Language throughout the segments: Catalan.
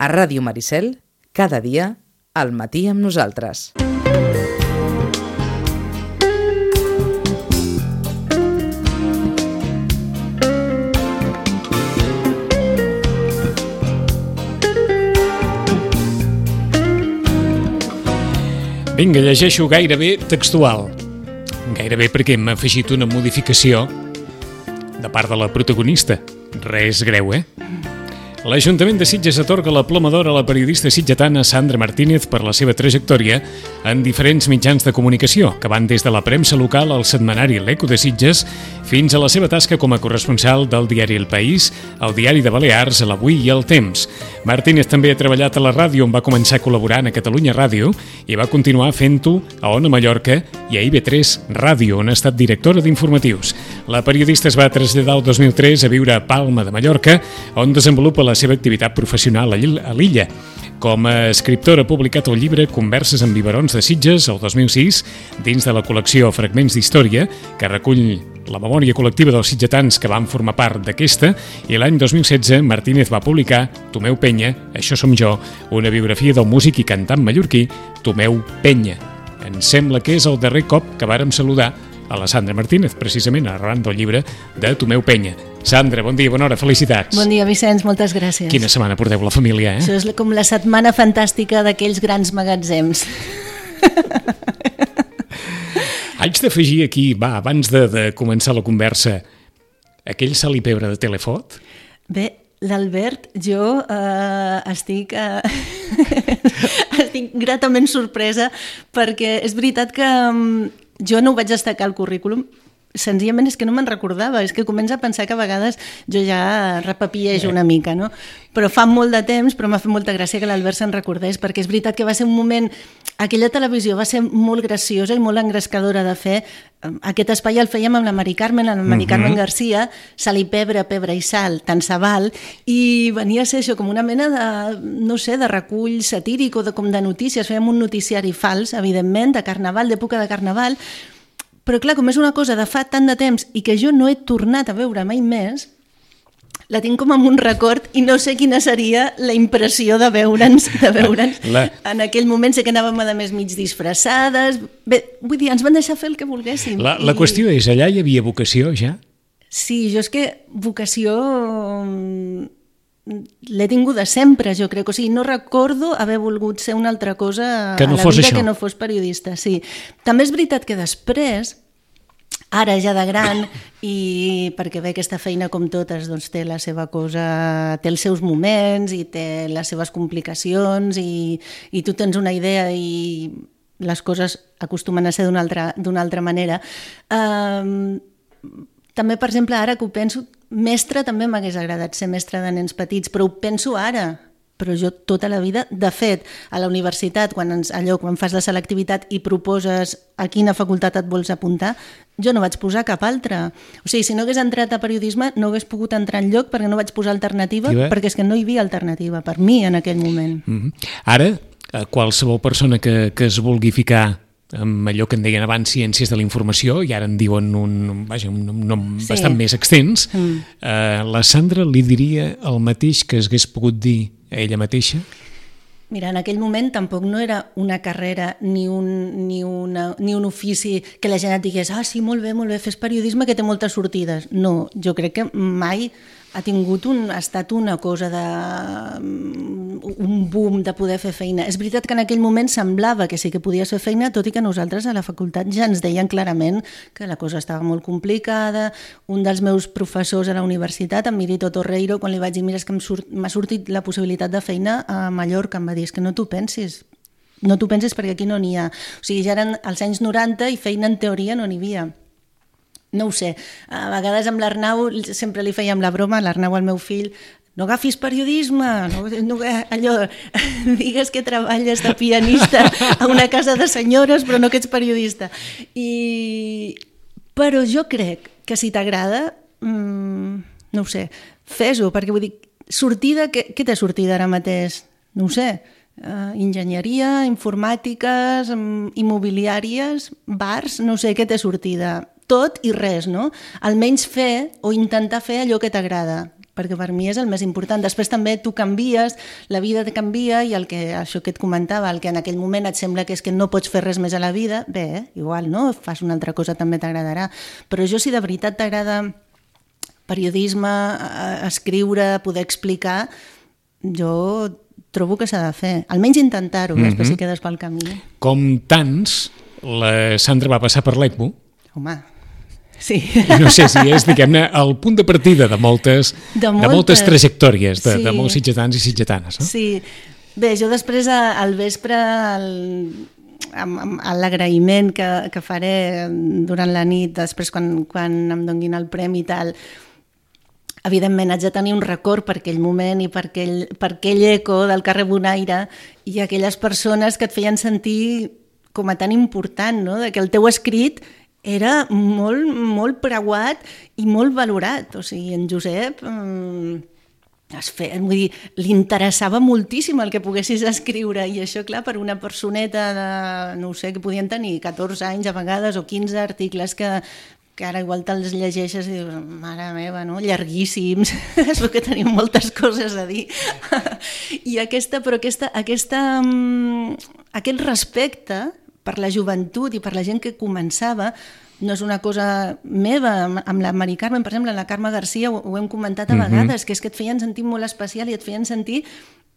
A Ràdio Maricel, cada dia, al matí amb nosaltres. Vinga, llegeixo gairebé textual. Gairebé perquè hem afegit una modificació de part de la protagonista. Res greu, L'Ajuntament de Sitges atorga la Ploma d'Or a la periodista sitgetana Sandra Martínez per la seva trajectòria en diferents mitjans de comunicació, que van des de la premsa local al setmanari L'Eco de Sitges fins a la seva tasca com a corresponsal del diari El País, el diari de Balears, l'Avui i el Temps. Martínez també ha treballat a la ràdio, on va començar col·laborant a Catalunya Ràdio i va continuar fent-ho a Ona Mallorca i a IB3 Ràdio, on ha estat directora d'informatius. La periodista es va traslladar el 2003 a viure a Palma de Mallorca, on desenvolupa la seva activitat professional a l'illa. Com a escriptora ha publicat el llibre Converses amb biberons de Sitges el 2006 dins de la col·lecció Fragments d'Història, que recull la memòria col·lectiva dels sitgetans que van formar part d'aquesta, i l'any 2016 Martínez va publicar Tomeu Penya, Això som jo, una biografia del músic i cantant mallorquí Tomeu Penya. Em sembla que és el darrer cop que vàrem saludar a la Sandra Martínez, precisament arran del llibre de Tomeu Penya. Sandra, bon dia, bona hora, felicitats. Bon dia, Vicenç, moltes gràcies. Quina setmana porteu la família, Això és com la setmana fantàstica d'aquells grans magatzems. Haig d'afegir aquí, abans de començar la conversa, aquell sal i pebre de Telefot? Bé, l'Albert, jo estic gratament sorpresa perquè és veritat que jo no ho vaig destacar al currículum, senzillament és que no me'n recordava, és que comença a pensar que a vegades jo ja repapillejo una mica, no? Però fa molt de temps, però m'ha fet molta gràcia que l'Albert se'n recordés, perquè és veritat que va ser un moment, aquella televisió va ser molt graciosa i molt engrescadora de fer. Aquest espai el fèiem amb la Mari Carmen, Carmen Garcia, Sal i pebre, pebre i sal, tant se val, i venia a ser això com una mena de, no sé, de recull satíric o com de notícies. Fèiem un noticiari fals, evidentment, de carnaval, d'època de carnaval, però clar, com és una cosa de fa tant de temps i que jo no he tornat a veure mai més, la tinc com amb un record i no sé quina seria la impressió de veure'ns en aquell moment. Sé que anàvem a més mig disfressades. Bé, vull dir, ens van deixar fer el que volguéssim. La qüestió és, allà hi havia vocació ja? Sí, jo és que vocació l'he tinguda sempre, jo crec. O sigui, no recordo haver volgut ser una altra cosa que no a la vida que no fos periodista. Sí. També és veritat que després, ara ja de gran, i perquè bé, aquesta feina com totes doncs, té la seva cosa, té els seus moments i té les seves complicacions i tu tens una idea i les coses acostumen a ser d'una altra manera. També, per exemple, ara que ho penso, mestre també m'hagués agradat ser mestre de nens petits, però ho penso ara. Però jo tota la vida, de fet, a la universitat, quan fas la selectivitat i proposes a quina facultat et vols apuntar, jo no vaig posar cap altra. O sigui, si no hagués entrat a periodisme, no hagués pogut entrar enlloc perquè no vaig posar alternativa, perquè és que no hi havia alternativa per mi en aquell moment. Ara, qualsevol persona que es vulgui ficar amb allò que en deien abans ciències de la informació, i ara en diuen un nom bastant més extens, la Sandra li diria el mateix que hagués pogut dir a ella mateixa? Mira, en aquell moment tampoc no era una carrera ni un ofici que la gent et digués sí, molt bé, fes periodisme que té moltes sortides. No, jo crec que mai ha estat una cosa un boom de poder fer feina. És veritat que en aquell moment semblava que sí que podies fer feina, tot i que nosaltres a la facultat ja ens deien clarament que la cosa estava molt complicada. Un dels meus professors a la universitat, en Mirito Torreiro, quan li vaig dir mira, és que m'ha sortit la possibilitat de feina a Mallorca, em va dir, és que no t'ho pensis. No t'ho pensis perquè aquí no n'hi ha. O sigui, ja eren els anys 90 i feina en teoria no n'hi havia. No ho sé, a vegades amb l'Arnau sempre li fèiem la broma, l'Arnau, el meu fill, no agafis periodisme, allò, digues que treballes de pianista a una casa de senyores però no que ets periodista. Però jo crec que si t'agrada, no ho sé, fes-ho, perquè vull dir, sortida, què té sortida ara mateix? No ho sé, enginyeria, informàtiques, immobiliàries, bars, no sé què té sortida. Tot i res, no? Almenys fer o intentar fer allò que t'agrada. perquè per mi és el més important. Després també tu canvies, la vida et canvia i això que et comentava, el que en aquell moment et sembla que és que no pots fer res més a la vida, bé, igual, no? Fas una altra cosa, també t'agradarà. Però si de veritat t'agrada periodisme, escriure, poder explicar, jo trobo que s'ha de fer. Almenys intentar-ho, després si quedes pel camí. Com tants, la Sandra va passar per l'ECMO. Home, sí. I no sé si és, diguem-ne, el punt de partida de moltes trajectòries de molts sitgetans i sitgetanes. No? Sí. Bé, jo després al vespre, amb l'agraïment que faré durant la nit, després quan em donguin el premi i tal, evidentment haig de tenir un record per aquell moment i per aquell eco del carrer Bonaire i aquelles persones que et feien sentir com a tan important, no? De que el teu escrit era molt, molt preuat i molt valorat. O sigui, en Josep li interessava moltíssim el que poguessis escriure i això, clar, per una personeta de, no sé, que podien tenir 14 anys a vegades o 15 articles que ara igual te'ls llegeixes i dius, mare meva, no? Llarguíssims, es veu que tenim moltes coses a dir. I aquest respecte per la joventut i per la gent que començava no és una cosa meva. Amb la Mari Carmen, per exemple, la Carme Garcia ho hem comentat a vegades, que és que et feien sentir molt especial i et feien sentir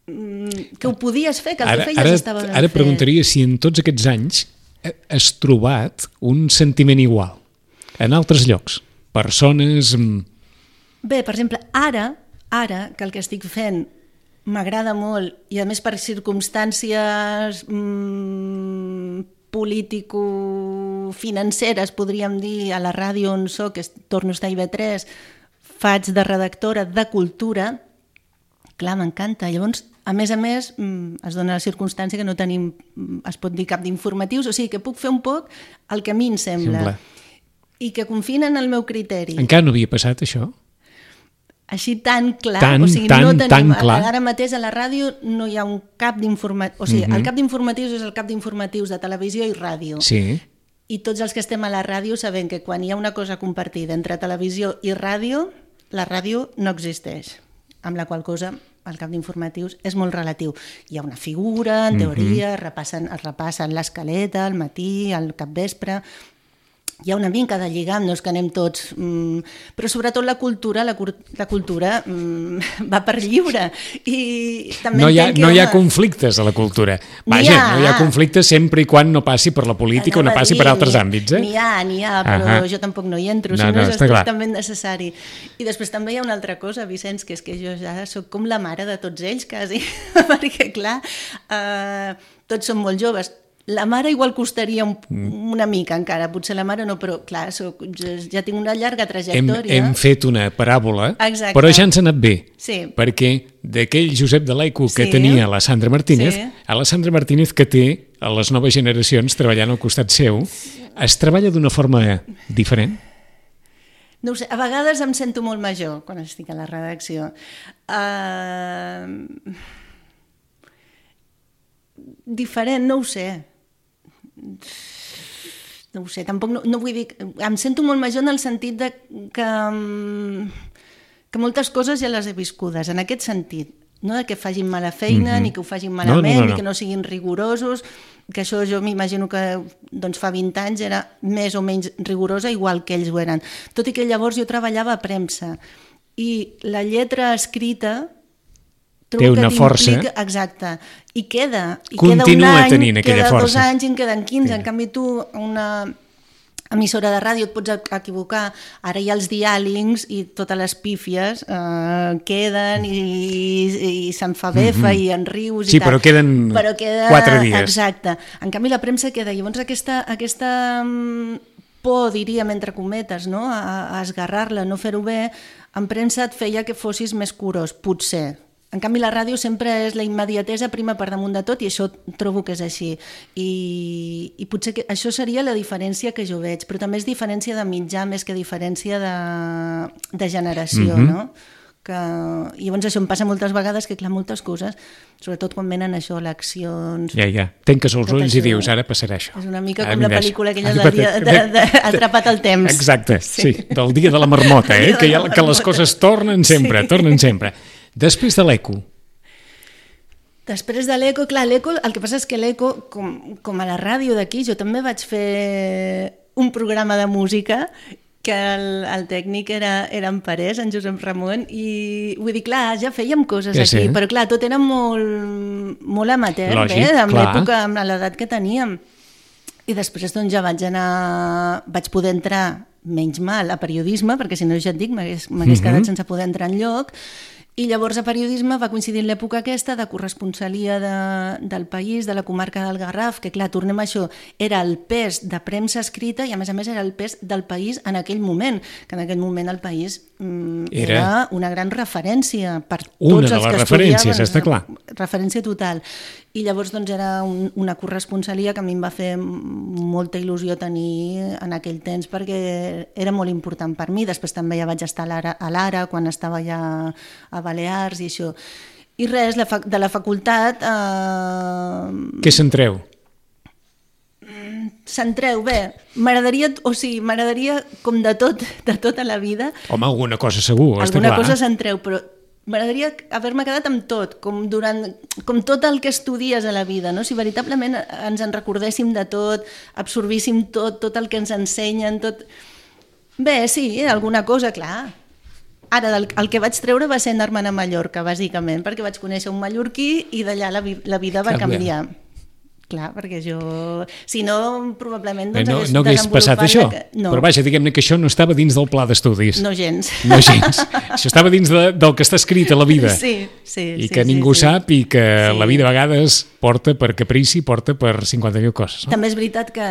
que ho podies fer, que el que feies estava ben fet. Ara preguntaria si en tots aquests anys has trobat un sentiment igual en altres llocs, persones... Bé, per exemple, ara que el que estic fent m'agrada molt i a més per circumstàncies político-financeres, podríem dir, a la ràdio on soc, que torno a estar a IB3, faig de redactora de cultura, clar, m'encanta. Llavors, a més, es dona la circumstància que no tenim, es pot dir, cap d'informatius, o sigui que puc fer un poc el que a mi em sembla. I que confien en el meu criteri. Encara no havia passat això? Així tan clar. Tan clar. Ara mateix a la ràdio no hi ha un cap d'informatius. O sigui, el cap d'informatius és el cap d'informatius de televisió i ràdio. Sí. I tots els que estem a la ràdio sabem que quan hi ha una cosa compartida entre televisió i ràdio, la ràdio no existeix. Amb la qual cosa el cap d'informatius és molt relatiu. Hi ha una figura, en teoria, es repassen l'escaleta, al matí, al capvespre... Hi ha una mica de lligam, no és que anem tots... Però sobretot la cultura va per lliure. I també no hi ha conflictes a la cultura. Vaja, no hi ha conflictes sempre i quan no passi per la política o no passi per altres àmbits. N'hi ha, però jo tampoc no hi entro, si no és estrictament necessari. I després també hi ha una altra cosa, Vicenç, que és que jo ja soc com la mare de tots ells, quasi, perquè clar, tots són molt joves. La mare igual costaria una mica encara, potser la mare no, però clar, ja tinc una llarga trajectòria. Hem fet una paràbola, exacte, però ja ens ha anat bé, sí, perquè d'aquell Josep de l'Aico que tenia la Sandra Martínez, a la Sandra Martínez que té a les noves generacions treballant al costat seu, es treballa d'una forma diferent? No ho sé, a vegades em sento molt major quan estic a la redacció. Diferent, no ho sé. No ho sé, tampoc no vull dir... Em sento molt major en el sentit de que moltes coses ja les he viscudes, en aquest sentit. No de que facin mala feina, ni que ho facin malament, ni que no siguin rigorosos, que això jo m'imagino que fa 20 anys era més o menys rigorosa, igual que ells ho eren. Tot i que llavors jo treballava a premsa i la lletra escrita té una força. Exacte. I queda. Continua tenint aquella força. Queda 2 anys i en queden 15. En canvi tu, una emissora de ràdio, et pots equivocar. Ara hi ha els diàlings i totes les pífies queden i se'n fa befa i en rius i tal. Sí, però queden 4 dies. Exacte. En canvi la premsa queda. Llavors aquesta por, diríem, entre cometes, no? A esgarrar-la, no fer-ho bé, en premsa et feia que fossis més curós, potser. En canvi, la ràdio sempre és la immediatesa prima per damunt de tot i això trobo que és així. I potser que això seria la diferència que jo veig, però també és diferència de mitjà més que diferència de generació, no? I llavors això em passa moltes vegades, que clar, moltes coses, sobretot quan venen això, eleccions... Ja. Tanques els ulls i dius, ara passarà això. És una mica com la pel·lícula aquella del dia Atrapat al temps. Exacte, sí, del dia de la marmota, que les coses tornen sempre. Després de l'eco. Després de l'eco, clar, l'eco, el que passa és que l'eco, com a la ràdio d'aquí, jo també vaig fer un programa de música que el tècnic era en Parés, en Josep Ramon, i vull dir, clar, ja fèiem coses aquí, però clar, tot era molt amateur, amb l'època, amb l'edat que teníem. I després doncs ja vaig poder entrar menys mal a periodisme, perquè si no ja et dic, m'hagués quedat sense poder entrar enlloc. I llavors a periodisme va coincidir l'època aquesta de corresponsalia del País, de la comarca del Garraf, que clar, tornem a això, era el pes de premsa escrita i a més era el pes del País en aquell moment, que en aquell moment el País era una gran referència per tots els que estudiaven. Està clar. Referència total. I llavors doncs era una corresponsalia que a mi em va fer molta il·lusió tenir en aquell temps perquè era molt important per mi. Després també ja vaig estar a l'Ara quan estava ja a Balears i això. I res, de la facultat... Què s'entreu? S'entreu, bé, m'agradaria com de tot a la vida... Home, alguna cosa segur, està clar. Alguna cosa s'entreu, però m'agradaria haver-me quedat amb tot, com tot el que estudies a la vida, no? Si veritablement ens en recordéssim de tot, absorbíssim tot el que ens ensenyen, tot... Bé, sí, alguna cosa, clar. Ara, el que vaig treure va ser anar-me'n a Mallorca, bàsicament, perquè vaig conèixer un mallorquí i d'allà la vida va canviar. Clar, perquè jo... Si no, probablement... Doncs no hagués passat això. No. Però vaja, diguem-ne que això no estava dins del pla d'estudis. No gens. Això estava dins del que està escrit a la vida. Sí. I que ningú sap i que la vida a vegades porta per caprici, porta per 50.000 coses. No? També és veritat que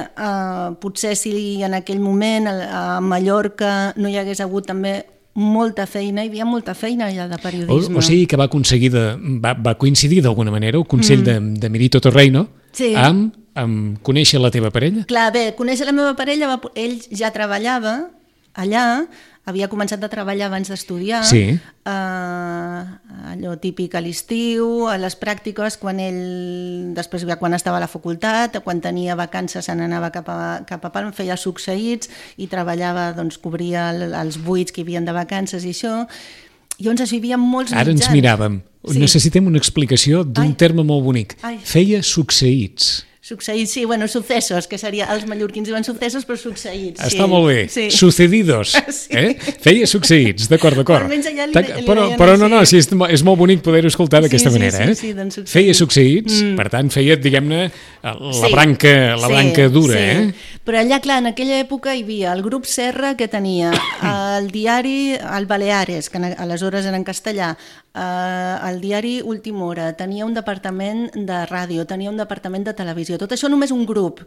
potser si en aquell moment a Mallorca no hi hagués hagut també molta feina, hi havia molta feina allà de periodisme. O sigui que va coincidir d'alguna manera el consell de Mirito Torreino amb conèixer la teva parella? Clar, bé, conèixer la meva parella, ell ja treballava allà, havia començat a treballar abans d'estudiar, allò típic a l'estiu, a les pràctiques, després quan estava a la facultat, quan tenia vacances se n'anava cap a Palma, feia succeïts i treballava, doncs cobria els buits que hi havia de vacances i això. Llavors hi havia molts mitjans. Ara ens miràvem. Necessitem una explicació d'un terme molt bonic. Feia succeïts. Succeïts, sí, sucesos, que seria, els mallorquins diuen sucesos, però succeïts. Està molt bé, sucedidos. Feia succeïts, d'acord. Però no, és molt bonic poder-ho escoltar d'aquesta manera. Feia succeïts, per tant, feia, diguem-ne, la branca dura. Però allà, clar, en aquella època hi havia el grup Serra, que tenia el diari El Baleares, que aleshores era en castellà, el diari Última Hora, tenia un departament de ràdio, tenia un departament de televisió, tot això només un grup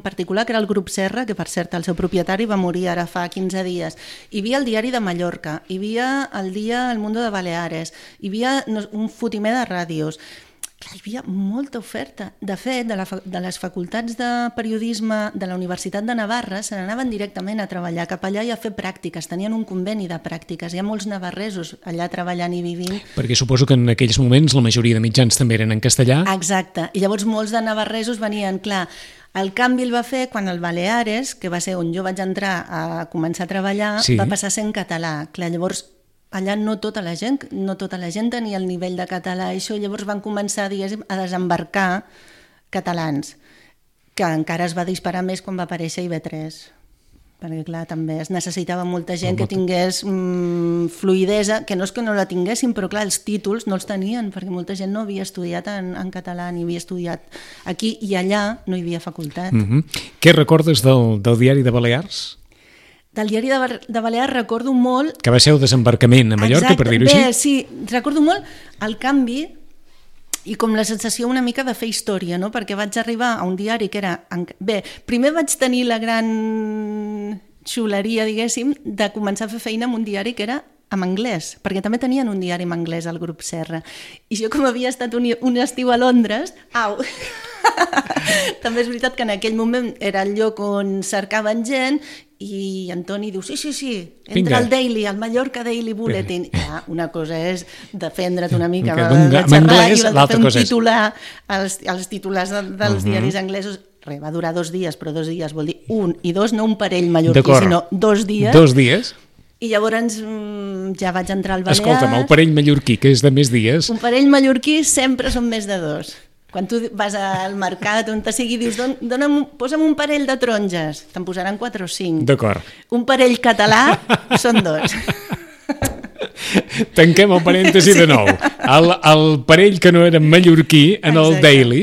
particular, que era el grup Serra, que per cert el seu propietari va morir ara fa 15 dies. Hi havia el diari de Mallorca, hi havia el dia El Mundo de Baleares, hi havia un fotimer de ràdios. Hi havia molta oferta. De fet, de les facultats de periodisme de la Universitat de Navarra se n'anaven directament a treballar cap allà i a fer pràctiques. Tenien un conveni de pràctiques. Hi ha molts navarresos allà treballant i vivint. Perquè suposo que en aquells moments la majoria de mitjans també eren en castellà. Exacte. I llavors molts de navarresos venien, clar, el canvi el va fer quan el Baleares, que va ser on jo vaig entrar a començar a treballar, va passar a ser en català. Clar, llavors allà no tota la gent tenia el nivell de català i això, llavors van començar, diguéssim, a desembarcar catalans, que encara es va disparar més quan va aparèixer IB3, perquè clar, també es necessitava molta gent que tingués fluïdesa, que no és que no la tinguessin, però clar, els títols no els tenien, perquè molta gent no havia estudiat en català, ni havia estudiat aquí, i allà no hi havia facultat. Què recordes del diari de Balears? Del diari de Balears recordo molt... Que va ser el desembarcament a Mallorca, per dir-ho així? Bé, sí, recordo molt el canvi i com la sensació una mica de fer història, no? Perquè vaig arribar a un diari que era... Bé, primer vaig tenir la gran xuleria, diguéssim, de començar a fer feina en un diari que era en anglès, perquè també tenien un diari en anglès al grup Serra. I jo, com havia estat un estiu a Londres... També és veritat que en aquell moment era el lloc on cercaven gent i Antoni diu, sí, entra al Daily, al Mallorca Daily Bulletin. Ja, una cosa és defendre't una mica de xerrar i l'altra cosa és titular els titulars dels diaris anglesos. Va durar 2 dies, però 2 dies vol dir 1 i 2, no un parell mallorquí, sinó 2 dies. 2 dies? I llavors ja vaig entrar al Balears. Escolta'm, el parell mallorquí, que és de més dies... Un parell mallorquí sempre són més de 2. Quan tu vas al mercat, on te sigui, dius, posa'm un parell de taronges, te'n posaran 4 o 5. D'acord. Un parell català són 2. Tanquem el parèntesi de nou. El parell que no era mallorquí en el Daily,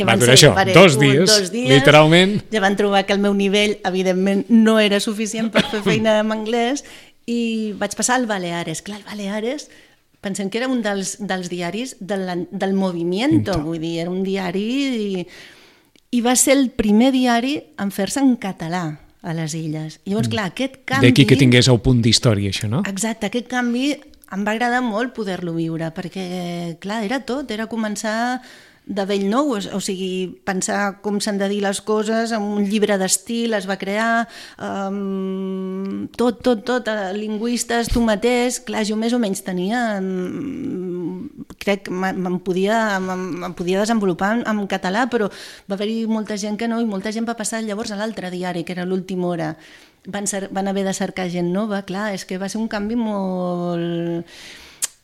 va durar això, 2 dies, literalment. Ja van trobar que el meu nivell, evidentment, no era suficient per fer feina en anglès i vaig passar al Baleares. Clar, el Baleares, pensem que era un dels diaris del Movimiento, vull dir, era un diari i va ser el primer diari en fer-se en català a les illes. I llavors, clar, aquest canvi... D'aquí que tingués el punt d'història, això, no? Exacte, aquest canvi em va agradar molt poder-lo viure, perquè, clar, era tot, era començar de bell nou, o sigui, pensar com s'han de dir les coses, amb un llibre d'estil es va crear, tot, lingüistes, tu mateix, clar, jo més o menys tenia, crec que em podia desenvolupar en català, però va haver-hi molta gent que no, i molta gent va passar llavors a l'altre diari, que era l'Última Hora. Van haver de cercar gent nova, clar, és que va ser un canvi molt...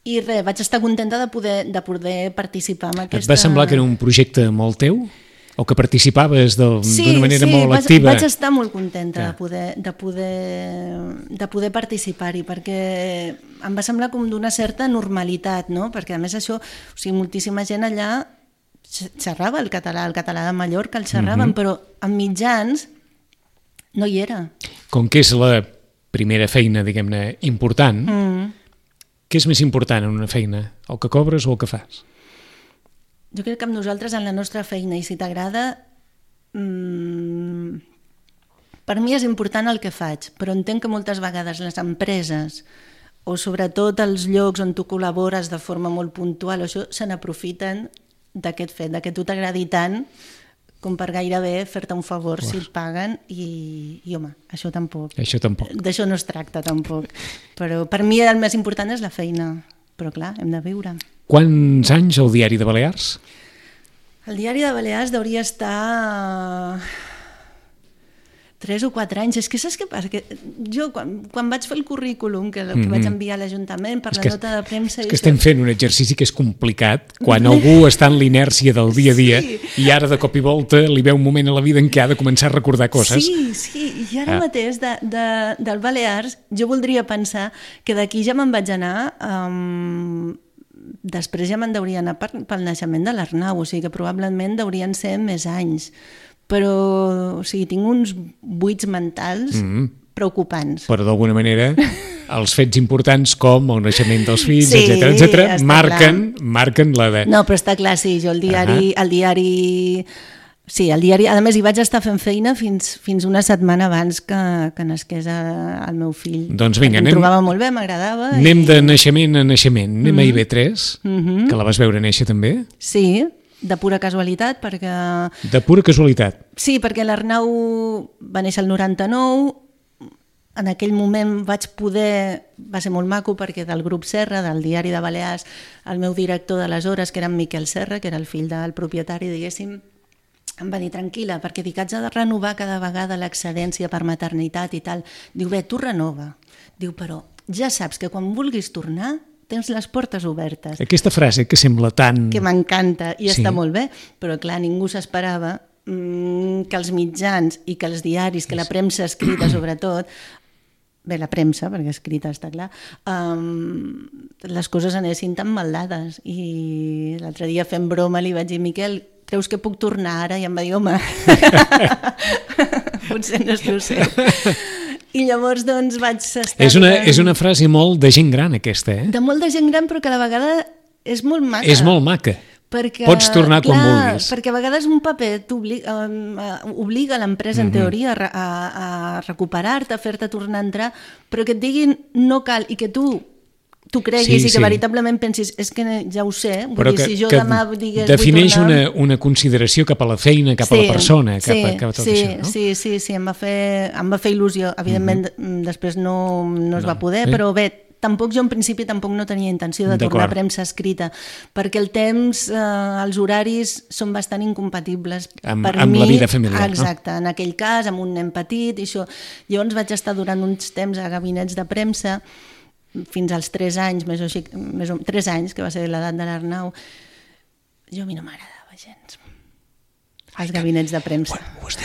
I res, vaig estar contenta de poder participar en aquesta... Et va semblar que era un projecte molt teu? O que participaves d'una manera molt activa? Sí, vaig estar molt contenta de poder participar-hi, perquè em va semblar com d'una certa normalitat, no? Perquè a més això, o sigui, moltíssima gent allà xerrava el català de Mallorca, el xerraven, però en mitjans no hi era. Com que és la primera feina, diguem-ne, important, què és més important en una feina? El que cobres o el que fas? Jo crec que amb nosaltres, en la nostra feina, i si t'agrada, per mi és important el que faig, però entenc que moltes vegades les empreses, o sobretot els llocs on tu col·labores de forma molt puntual, això se n'aprofiten d'aquest fet, que tu t'agradi tant com per gairebé fer-te un favor si et paguen i home, això tampoc. D'això no es tracta tampoc. Però per mi el més important és la feina, però clar, hem de viure. Quants anys el Diari de Balears? El Diari de Balears hauria estar 3 o 4 anys. És que saps què passa? Que jo, quan vaig fer el currículum, que vaig enviar a l'Ajuntament per la nota de premsa... És que estem fent un exercici que és complicat, quan algú està en l'inèrcia del dia a dia i ara de cop i volta li veu un moment a la vida en què ha de començar a recordar coses. Sí, i ara mateix del Balears jo voldria pensar que d'aquí ja me'n vaig anar... Després ja me'n deuria anar pel naixement de l'Arnau, o sigui que probablement deurien ser més anys. Però, o sigui, tinc uns buits mentals preocupants. Però d'alguna manera els fets importants com el naixement dels fills, etc., marquen la de... No, però està clar, sí, jo el diari... Sí, el diari, a més hi vaig estar fent feina fins una setmana abans que nasqués el meu fill. Doncs vinga, em trobava molt bé, m'agradava. Anem de naixement a naixement, anem a IB3, que la vas veure néixer també? Sí, de pura casualitat, perquè... De pura casualitat? Sí, perquè l'Arnau va néixer el 99, en aquell moment vaig poder... Va ser molt maco perquè del grup Serra, del Diari de Balears, el meu director d'aleshores, que era en Miquel Serra, que era el fill del propietari, diguéssim, em va dir, tranquil·la, perquè dic, haig de renovar cada vegada l'excedència per maternitat i tal. Diu, bé, tu renova. Diu, però ja saps que quan vulguis tornar tens les portes obertes. Aquesta frase que sembla tan... Que m'encanta i està molt bé, però clar, ningú s'esperava que els mitjans i que els diaris, que la premsa escrita sobretot, bé, la premsa, perquè escrita està clar, les coses anessin tan maldades. I l'altre dia fent broma li vaig dir, Miquel, creus que puc tornar ara? I em va dir, home, potser no és el seu. I llavors doncs vaig estar... És una frase molt de gent gran aquesta, eh? De molt de gent gran, però que a la vegada és molt maca. És molt maca. Perquè, pots tornar quan vulguis. Perquè a vegades un paper obliga l'empresa, en teoria, a recuperar-te, a fer-te tornar a entrar, però que et diguin no cal i que tu tu creguis i que veritablement pensis és que ja ho sé, vull dir, si jo demà digués... Defineix una consideració cap a la feina, cap a la persona, cap a tot això, no? Sí, em va fer il·lusió. Evidentment, després no es va poder, però bé, tampoc jo en principi no tenia intenció de tornar a premsa escrita, perquè el temps, els horaris són bastant incompatibles amb la vida familiar. Exacte, en aquell cas, amb un nen petit i això. Llavors vaig estar durant uns temps a gabinets de premsa fins als 3 anys, 3 anys, que va ser l'edat de l'Arnau. Jo a mi no m'agradava gens els gabinets de premsa. Ho has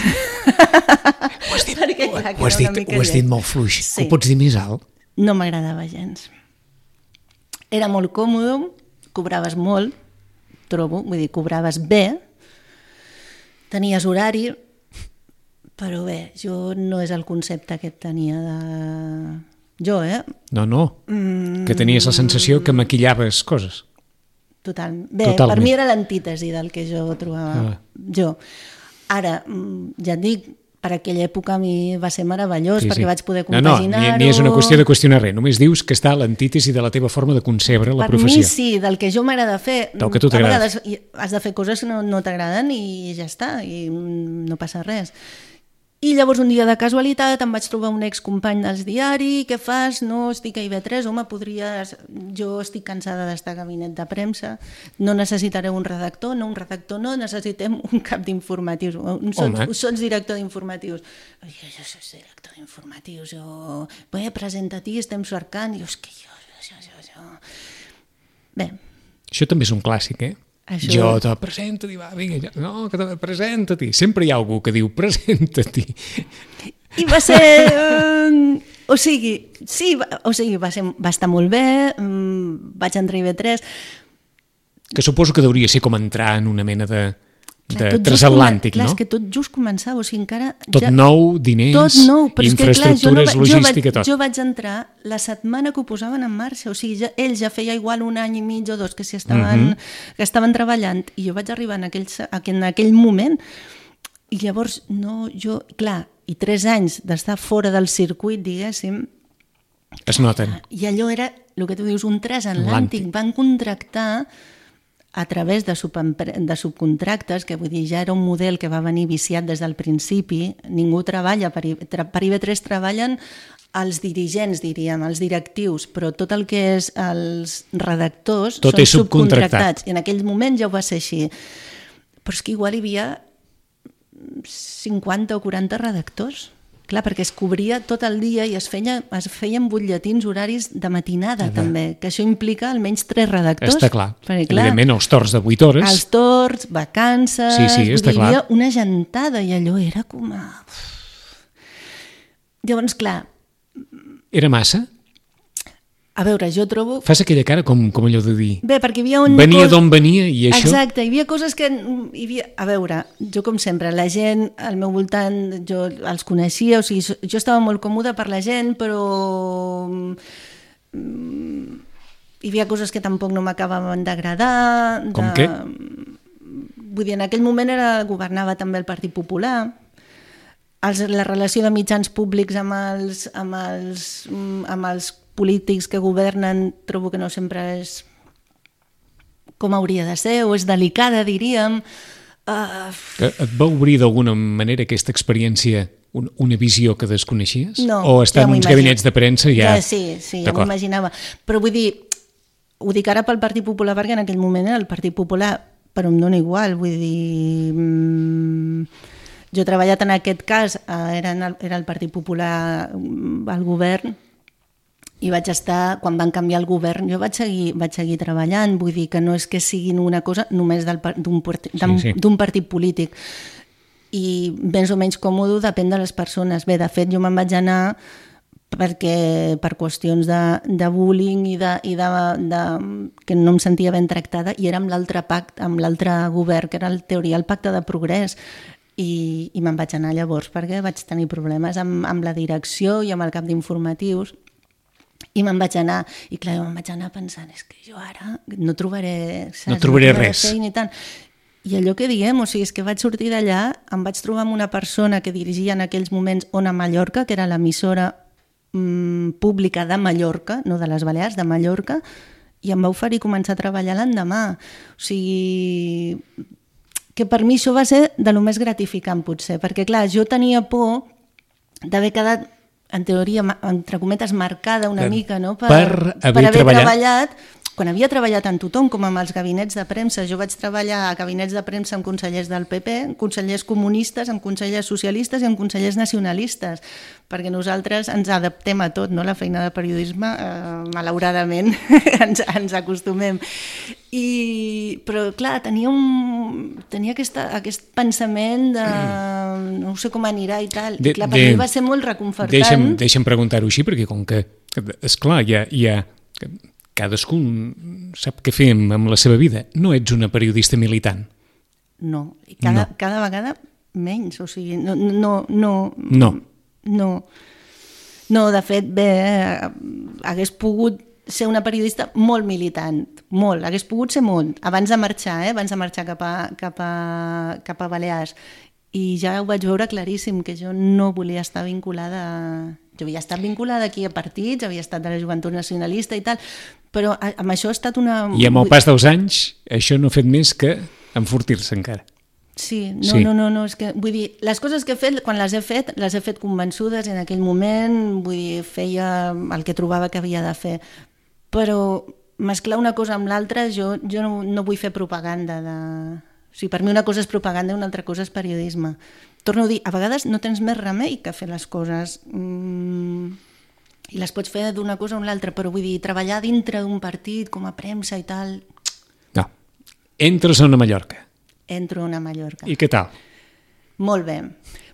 dit molt fluix. Ho pots dir més alt? No m'agradava gens. Era molt còmode, cobraves molt, trobo, vull dir, cobraves bé, tenies horari, però bé, jo no és el concepte que tenia de... Jo, No, que tenies la sensació que maquillaves coses. Totalment. Bé, per mi era l'antítesi del que jo trobava. Jo. Ara, ja et dic, per aquella època a mi va ser meravellós, perquè vaig poder compaginar-ho... Ni és una qüestió de qüestionar res, només dius que està a l'antítesi de la teva forma de concebre la professió. Per mi sí, del que jo m'agrada fer. Del que tu t'agrada. A vegades has de fer coses que no t'agraden i ja està, i no passa res. I llavors un dia de casualitat em vaig trobar un excompany dels diari, què fas? No, estic a IB3, home, podries... Jo estic cansada d'estar a gabinet de premsa, no necessitaré un redactor, necessitem un cap d'informatius. Sots director d'informatius. Jo soc director d'informatius, bé, presenta-t'hi, estem cercant, i és que jo... Bé. Això també és un clàssic, Això... Jo te presenta-t'hi, va, vinga, no, que te presenta-t'hi. Sempre hi ha algú que diu presenta-t'hi. I va ser... va estar molt bé, vaig entrar a IB3. Que suposo que deuria ser com entrar en una mena de transatlàntic, no? És que tot just començava, o sigui, encara... Tot nou, diners, infraestructures, logística, tot. Jo vaig entrar la setmana que ho posaven en marxa, o sigui, ells ja feia igual 1 any i mig o 2 que estaven treballant, i jo vaig arribar en aquell moment, i llavors i 3 anys d'estar fora del circuit, diguéssim, es noten. I allò era, el que tu dius, un transatlàntic. Van contractar a través de subcontractes, que vull dir, ja era un model que va venir viciat des del principi, ningú treballa, per IB3 treballen els dirigents, diríem, els directius, però tot el que és els redactors tot són subcontractats. I en aquell moment ja ho va ser així. Però és que igual hi havia 50 o 40 redactors. Clar, perquè es cobria tot el dia i es feien butlletins horaris de matinada, també, que això implica almenys 3 redactors. Està clar. Perquè, evidentment, els torns de 8 hores. Els torns, vacances... Sí, està clar. Hi havia una gentada i allò era com a... Llavors, clar... Era massa? A veure, jo trobo... Fas aquella cara com allò de dir... Bé, perquè hi havia Venia d'on venia i això... Exacte, hi havia coses que... A veure, jo com sempre, la gent al meu voltant, jo els coneixia, o sigui, jo estava molt còmoda per la gent, però hi havia coses que tampoc no m'acabaven d'agradar. Com què? Vull dir, en aquell moment governava també el Partit Popular, la relació de mitjans públics amb els polítics que governen trobo que no sempre és com hauria de ser, o és delicada, diríem. Et va obrir d'alguna manera aquesta experiència una visió que desconeixies? No. O estar en uns gabinets de premsa ja... Sí, ja m'ho imaginava. Però vull dir, ho dic ara pel Partit Popular perquè en aquell moment era el Partit Popular, però em dona igual, vull dir... Jo he treballat en aquest cas, era el Partit Popular al govern, i vaig estar, quan van canviar el govern, jo vaig seguir treballant, vull dir que no és que siguin una cosa només d'un partit polític, i més o menys còmode depèn de les persones. Bé, de fet, jo me'n vaig anar perquè per qüestions de bullying i que no em sentia ben tractada, i era amb l'altre govern, que era en teoria el Pacte de Progrés, i me'n vaig anar llavors perquè vaig tenir problemes amb la direcció i amb el cap d'informatius. I me'n vaig anar, i clar, me'n vaig anar pensant, és que jo ara no trobaré res. I allò que diem, o sigui, és que vaig sortir d'allà, em vaig trobar amb una persona que dirigia en aquells moments Ona Mallorca, que era l'emissora pública de Mallorca, no de les Balears, de Mallorca, i em va oferir començar a treballar l'endemà. O sigui, que per mi això va ser de lo més gratificant, potser, perquè, clar, jo tenia por d'haver quedat, en teoria, entre cometes, marcada una mica, no? Per haver treballat. Quan havia treballat amb tothom, com amb els gabinets de premsa, jo vaig treballar a gabinets de premsa amb consellers del PP, amb consellers comunistes, amb consellers socialistes i amb consellers nacionalistes, perquè nosaltres ens adaptem a tot, no? La feina de periodisme, malauradament, ens acostumem. Però, clar, tenia aquest pensament de no sé com anirà i tal. I, clar, per mi va ser molt reconfortant. Deixa'm preguntar-ho així, perquè com que, esclar, hi ha cadascú sap què fem amb la seva vida. No ets una periodista militant. No, cada vegada menys, o sigui, no, de fet, bé, hagués pogut ser una periodista molt militant, molt, hagués pogut ser molt, abans de marxar cap a Balears. I ja ho vaig veure claríssim, que jo no volia estar vinculada... Jo havia estat vinculada aquí a partits, havia estat de la Joventut Nacionalista i tal, però amb això ha estat una... I amb el pas dels anys, això no ha fet més que enfortir-se encara. Sí, no, és que, vull dir, les coses que he fet, quan les he fet convençudes en aquell moment, vull dir, feia el que trobava que havia de fer, però mesclar una cosa amb l'altra, jo no vull fer propaganda de... O sigui, per mi una cosa és propaganda i una altra cosa és periodisme. Torno a dir, a vegades no tens més remei que fer les coses i les pots fer d'una cosa o una altra, però vull dir, treballar dintre d'un partit com a premsa i tal... No. Entres a una Mallorca. Entro a una Mallorca. I què tal? Molt bé.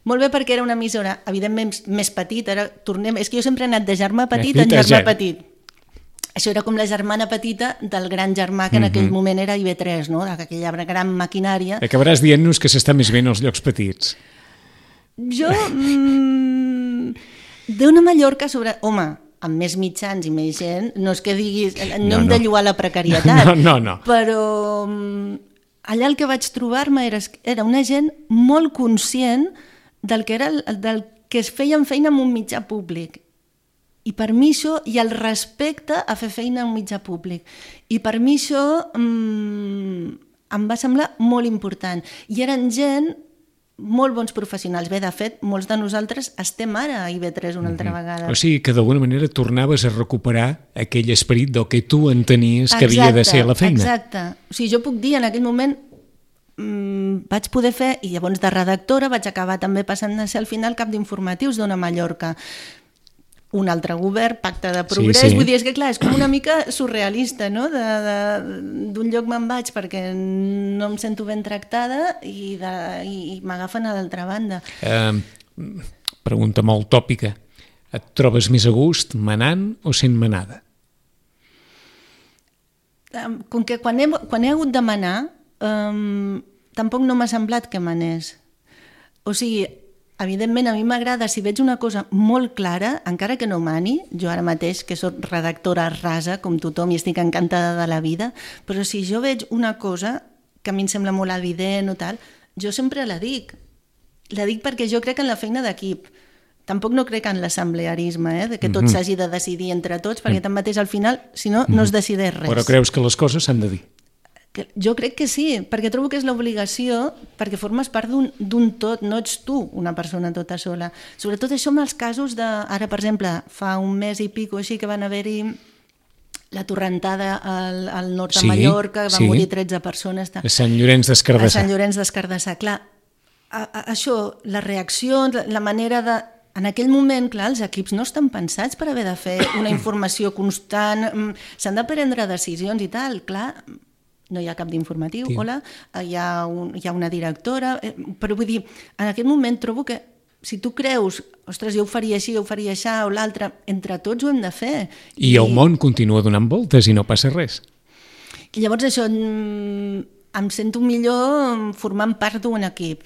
Molt bé, perquè era una emissora, evidentment, més petita. És que jo sempre he anat de germà petit en germà petit. Això era com la germana petita del gran germà que en aquell moment era IB3, no? Aquella gran maquinària. Acabaràs dient-nos que s'està més bé en els llocs petits. Jo, d'una Mallorca sobre... Home, amb més mitjans i més gent, no és que diguis... No hem de lloar la precarietat. No. Però allà el que vaig trobar-me era una gent molt conscient del que es feien feina en un mitjà públic. I per mi això, i el respecte a fer feina en un mitjà públic. I per mi això em va semblar molt important. I eren gent, molt bons professionals. Bé, de fet, molts de nosaltres estem ara a IB3 una altra vegada. O sigui que d'alguna manera tornaves a recuperar aquell esperit del que tu entenies que havia de ser la feina. Exacte. O sigui, jo puc dir, en aquell moment vaig poder fer, i llavors de redactora vaig acabar també passant a ser al final cap d'informatius d'Ona Mallorca. Un altre govern, pacte de progrés, sí. Vull dir, és que clar, és com una mica surrealista, no? D'un lloc me'n vaig perquè no em sento ben tractada i m'agafen a l'altra banda. Pregunta molt tòpica. Et trobes més a gust manant o sent manada? Com que quan he hagut de manar, tampoc no m'ha semblat que manés. O sigui, evidentment, a mi m'agrada, si veig una cosa molt clara, encara que no mani, jo ara mateix, que soc redactora rasa, com tothom, i estic encantada de la vida, però si jo veig una cosa que a mi em sembla molt evident o tal, jo sempre la dic. La dic perquè jo crec en la feina d'equip. Tampoc no crec en l'assemblearisme, de que tot s'hagi de decidir entre tots, perquè tanmateix al final, si no, no es decideix res. Però creus que les coses s'han de dir? Jo crec que sí, perquè trobo que és l'obligació, perquè formes part d'un tot, no ets tu una persona tota sola. Sobretot això amb els casos de... Ara, per exemple, fa un mes i pico així que van haver-hi la torrentada al nord de Mallorca, van morir 13 persones. A Sant Llorenç des Cardassar. A Sant Llorenç des Cardassar. Clar, això, la reacció, la manera de... En aquell moment, clar, els equips no estan pensats per haver de fer una informació constant, s'han de prendre decisions i tal, clar... No hi ha cap d'informatiu, hola, hi ha una directora, però vull dir, en aquest moment trobo que si tu creus, ostres, jo ho faria així, jo ho faria això, o l'altre, entre tots ho hem de fer. I el món continua donant voltes i no passa res. I llavors això, em sento millor formant part d'un equip.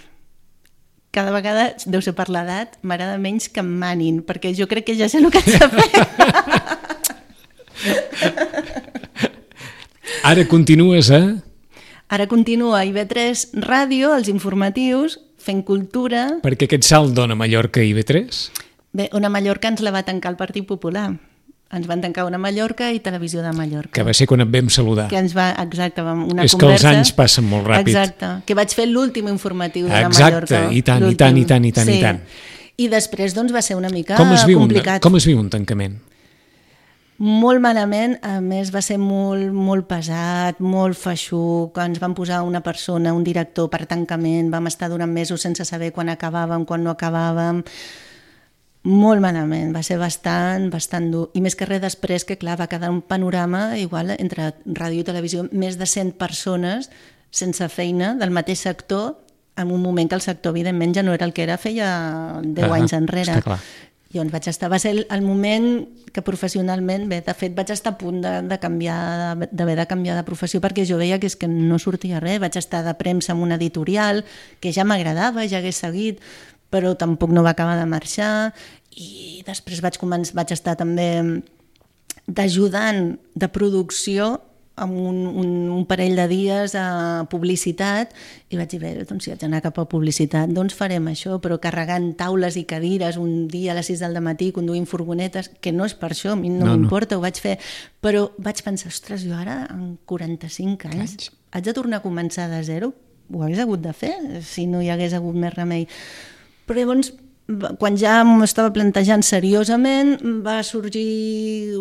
Cada vegada, deu ser per l'edat, m'agrada menys que em manin, perquè jo crec que ja sé el que haig de fer. Ara continues a... Ara continuo a IB3 Ràdio, els informatius, fent cultura... Perquè aquest salt dona Mallorca a IB3? Bé, Ona Mallorca ens la va tancar el Partit Popular. Ens van tancar Ona Mallorca i Televisió de Mallorca. Que va ser quan et vam saludar. Que ens va, exacte, una és conversa. És que els anys passen molt ràpid. Exacte, que vaig fer l'últim informatiu d'Ona Mallorca. Exacte, i tant, i tant, i tant, i tant, sí. i tant. I després doncs va ser una mica complicat. Com es viu un tancament? Molt malament, a més va ser molt pesat, molt feixuc, ens van posar una persona, un director per tancament, vam estar durant mesos sense saber quan acabàvem, quan no acabàvem, molt malament, va ser bastant dur. I més que res després, que clar, va quedar un panorama igual entre ràdio i televisió, més de 100 persones sense feina del mateix sector, en un moment que el sector evidentment ja no era el que era feia 10 anys enrere. Està clar. Llavors vaig estar, va ser el moment que professionalment, bé, de fet vaig estar a punt d'haver de canviar de professió perquè jo veia que és que no sortia res, vaig estar de premsa en un editorial que ja m'agradava, ja hagués seguit, però tampoc no va acabar de marxar i després vaig estar també d'ajudant de producció amb un parell de dies a publicitat i vaig dir, bé, doncs si haig d'anar cap a publicitat doncs farem això, però carregant taules i cadires un dia a les 6 del matí conduint furgonetes, que no és per això, a mi no m'importa, ho vaig fer, però vaig pensar, ostres, jo ara amb 45 anys haig de tornar a començar de zero? Ho hagués hagut de fer si no hi hagués hagut més remei. Però llavors, quan ja m'estava plantejant seriosament, va sorgir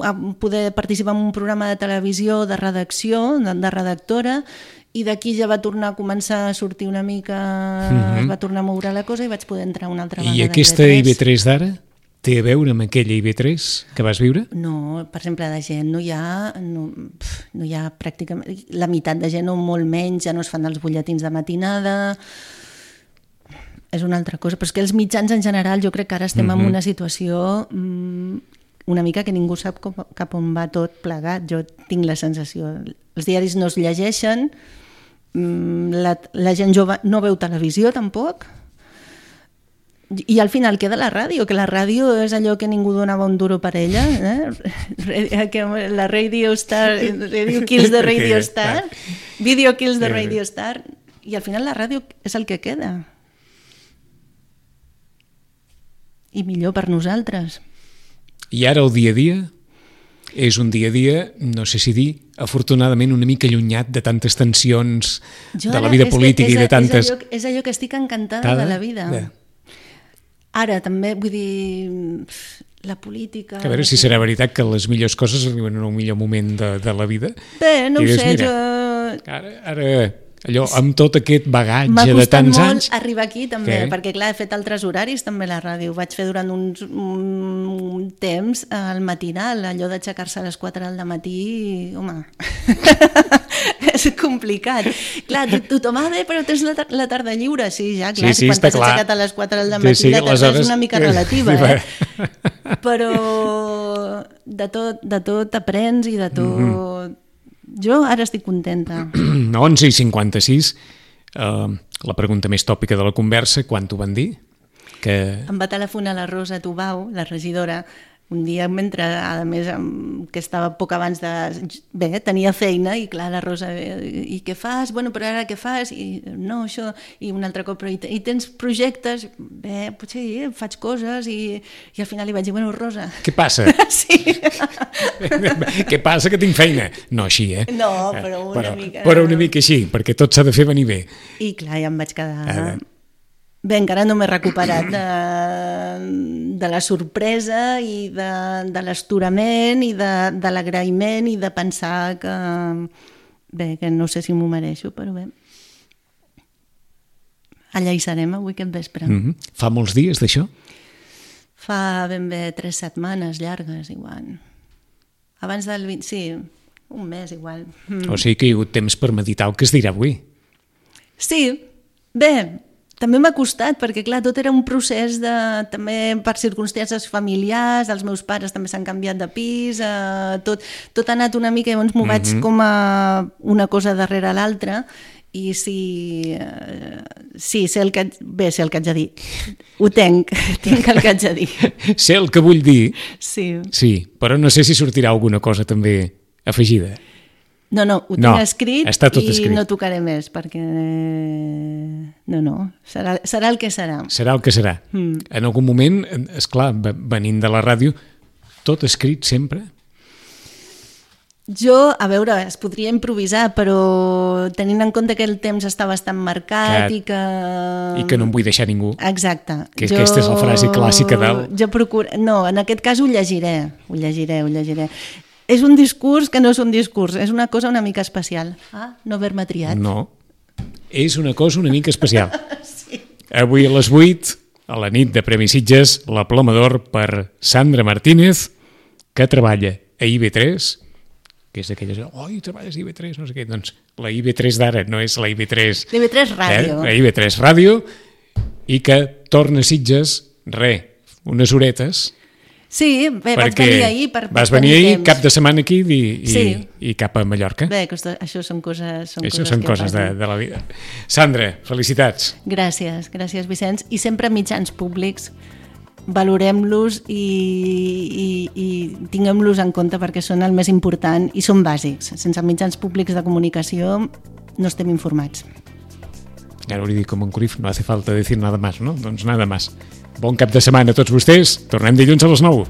a poder participar en un programa de televisió de redacció, de redactora, i d'aquí ja va tornar a començar a sortir una mica, es va tornar a moure la cosa i vaig poder entrar una altra vegada. I aquesta IB3 d'ara té a veure amb aquella IB3 que vas viure? No, per exemple, de gent no hi ha pràcticament, la meitat de gent o molt menys, ja no es fan els butlletins de matinada, és una altra cosa, però és que els mitjans en general jo crec que ara estem en una situació una mica que ningú sap cap on va tot plegat, jo tinc la sensació. Els diaris no es llegeixen, la gent jove no veu televisió tampoc, i al final queda la ràdio, que la ràdio és allò que ningú donava un duro per ella, la Radio Star, Radio Kills the Radio Star, Video Kills the Radio Star, i al final la ràdio és el que queda. I millor per nosaltres. I ara el dia a dia és un dia a dia, no sé si dir, afortunadament una mica allunyat de tantes tensions de la vida política i de tantes... És allò que estic encantada de la vida. Ara també, vull dir, la política... A veure si serà veritat que les millors coses arriben en un millor moment de la vida. Bé, no ho sé, jo... Ara, allò, amb tot aquest bagatge de tants anys... M'ha costat molt arribar aquí també, perquè clar, he fet altres horaris també a la ràdio. Vaig fer durant un temps al matinal, allò d'aixecar-se a les 4 del matí, home, és complicat. Clar, tothom, bé, però tens la tarda lliure. Sí, ja, clar, quan t'has aixecat a les 4 del matí, la tarda és una mica relativa, però de tot aprens i de tot... Jo ara estic contenta. 11:56, la pregunta més tòpica de la conversa, quan t'ho van dir? Em va telefonar la Rosa Tubau, la regidora, un dia mentre, a més, que estava poc abans de... Bé, tenia feina i clar, la Rosa, i què fas? Bueno, però ara què fas? I no, això... I un altre cop, però i tens projectes? Bé, potser sí, faig coses i al final li vaig dir, bueno, Rosa... Què passa? Sí. Què passa, que tinc feina? No així, No, però una mica... Però una mica així, perquè tot s'ha de fer venir bé. I clar, ja em vaig quedar... Bé, encara no m'he recuperat de la sorpresa i de l'esturament i de l'agraïment i de pensar que... Bé, que no sé si m'ho mereixo, però bé. Allà hi serem avui aquest vespre. Fa molts dies d'això? Fa ben bé 3 setmanes llargues, igual. Abans del 20... Sí, un mes, igual. O sigui que hi ha hagut temps per meditar el que es dirà avui. Sí, bé... També m'ha costat, perquè clar, tot era un procés també per circumstàncies familiars, els meus pares també s'han canviat de pis, tot ha anat una mica, llavors m'ho vaig com a una cosa darrere l'altra, i sé el que haig de dir. Ho tinc el que haig de dir. Sé el que vull dir, sí, però no sé si sortirà alguna cosa també afegida. No, ho tinc escrit està tot escrit. No tocaré més, perquè... No, serà el que serà. Serà el que serà. En algun moment, esclar, venint de la ràdio, tot escrit sempre? Jo, a veure, es podria improvisar, però tenint en compte que el temps està bastant marcat i que... I que no em vull deixar ningú. Exacte. Aquesta és la frase clàssica del... Jo procuro... No, en aquest cas ho llegiré. És un discurs que no és un discurs, és una cosa una mica especial. No haver-me triat. No, és una cosa una mica especial. Sí. Avui a les 8, a la nit de Premi Sitges, la Ploma d'Or per Sandra Martínez, que treballa a IB3, que és d'aquelles... treballes a IB3, no sé què. Doncs la IB3 d'ara no és la IB3... L'IB3 Ràdio. La IB3 Ràdio, i que torna a Sitges, unes horetes... Sí, bé, vaig venir ahir per vas venir ahir, cap de setmana aquí i cap a Mallorca. Bé, això són coses de la vida. Sandra, felicitats. Gràcies, Vicenç. I sempre mitjans públics, valorem-los i tinguem-los en compte perquè són el més important i són bàsics. Sense mitjans públics de comunicació no estem informats. Ara hauria dit com en Cruyff, no hace falta decir nada más, ¿no? Doncs nada más. Bon cap de setmana a tots vostès. Tornem dilluns a les 9.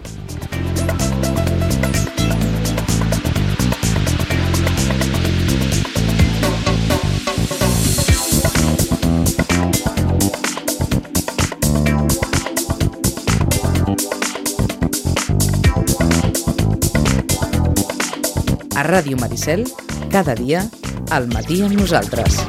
A Ràdio Maricel, cada dia, al matí amb nosaltres.